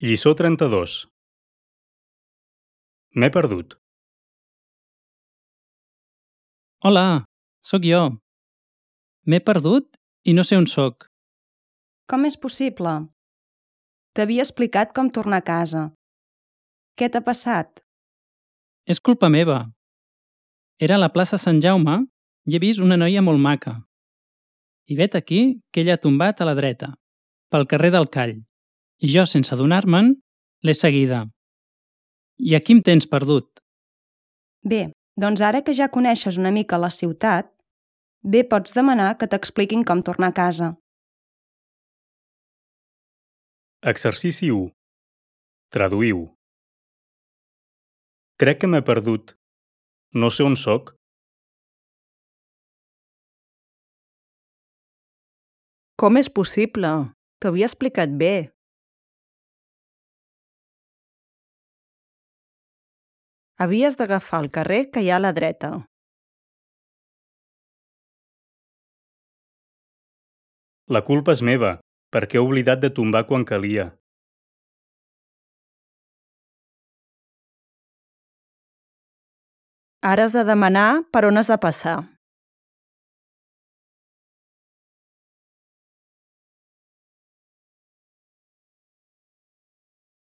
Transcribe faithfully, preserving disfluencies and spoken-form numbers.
Lliçó trenta-dos. M'he perdut. Hola, sóc jo. M'he perdut i no sé on sóc. Com és possible? T'havia explicat com tornar a casa. Què t'ha passat? És culpa meva. Era a la plaça Sant Jaume i he vist una noia molt maca. I vet aquí que ella ha tombat a la dreta, pel carrer del Call, i jo, sense adonar-me'n, l'he seguida. I aquí em tens perdut. Bé, doncs ara que ja coneixes una mica la ciutat, bé pots demanar que t'expliquin com tornar a casa. Exercici u. Traduïu. Crec que m'he perdut. No sé on sóc. Com és possible? T'ho havia explicat bé. Havies d'agafar el carrer que hi ha a la dreta. La culpa és meva, perquè he oblidat de tombar quan calia. Ara has de demanar per on has de passar.